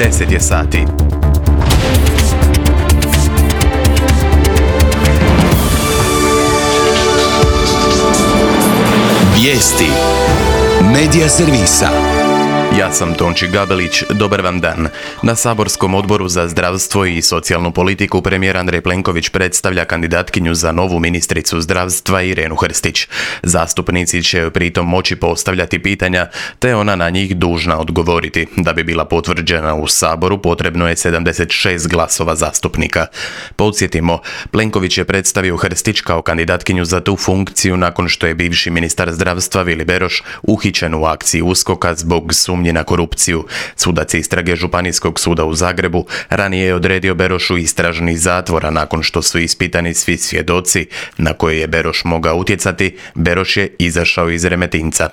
10 je sati. Vijesti Medija servisa. Ja sam Tonči Gabelić, dobar vam dan. Na saborskom odboru za zdravstvo i socijalnu politiku premijer Andrej Plenković predstavlja kandidatkinju za novu ministricu zdravstva Irenu Hrstić. Zastupnici će joj pritom moći postavljati pitanja, te ona na njih dužna odgovoriti. Da bi bila potvrđena u Saboru potrebno je 76 glasova zastupnika. Podsjetimo, Plenković je predstavio Hrstić kao kandidatkinju za tu funkciju nakon što je bivši ministar zdravstva Vili Beroš uhićen u akciji USKOK-a zbog sumnje na korupciju. Sudac istrage Županijskog suda u Zagrebu ranije je odredio Berošu istražni zatvor, a nakon što su ispitani svi svjedoci na koje je Beroš mogao utjecati, Beroš je izašao iz Remetinca.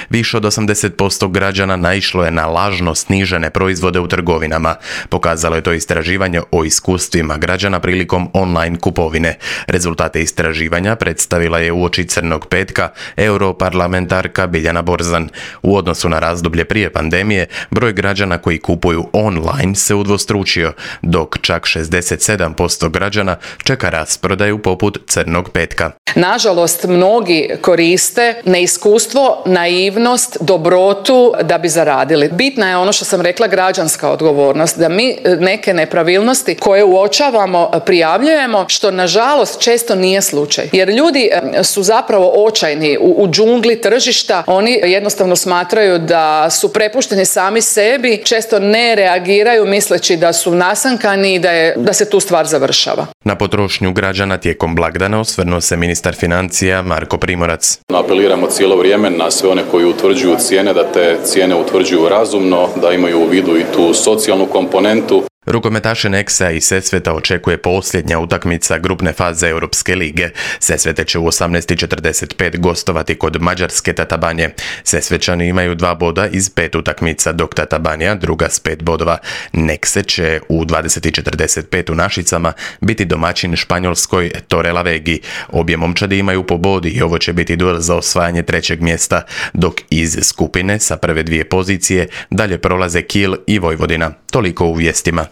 Više od 80% građana naišlo je na lažno snižene proizvode u trgovinama. Pokazalo je to istraživanje o iskustvima građana prilikom online kupovine. Rezultate istraživanja predstavila je uoči Crnog petka europarlamentarka Biljana Borzan. U odnosu na razdoblje prije pandemije, broj građana koji kupuju online se udvostručio, dok čak 67% građana čeka rasprodaju poput Crnog petka. Nažalost, mnogi koriste neiskustvo, naivnost, dobrotu da bi zaradili. Bitna je ono što sam rekla, građanska odgovornost, da mi neke nepravilnosti koje uočavamo prijavljujemo, što nažalost često nije slučaj. Jer ljudi su zapravo očajni u džungli tržišta, oni jednostavno smatraju da su prepušteni sami sebi, često ne reagiraju misleći da su nasankani i da se tu stvar završava. Na potrošnju građana tijekom blagdana osvrnuo se ministar financija Marko Primorac. Apeliramo cijelo vrijeme na sve one koji utvrđuju cijene, da te cijene utvrđuju razumno, da imaju u vidu i tu socijalnu komponentu. Rukometaše Nexa i Sesveta očekuje posljednja utakmica grupne faze Europske lige. Sesvete će u 18:45 gostovati kod mađarske Tatabanje. Sesvećani imaju 2 boda iz 5 utakmica, dok Tatabanja, druga s 5 bodova. Nexe će u 20:45 u Našicama biti domaćin Španjolskoj Torrelavegi. Obje momčadi imaju po bodi i ovo će biti duel za osvajanje 3. mjesta, dok iz skupine sa prve 2 pozicije dalje prolaze Kiel i Vojvodina. Toliko u vijestima.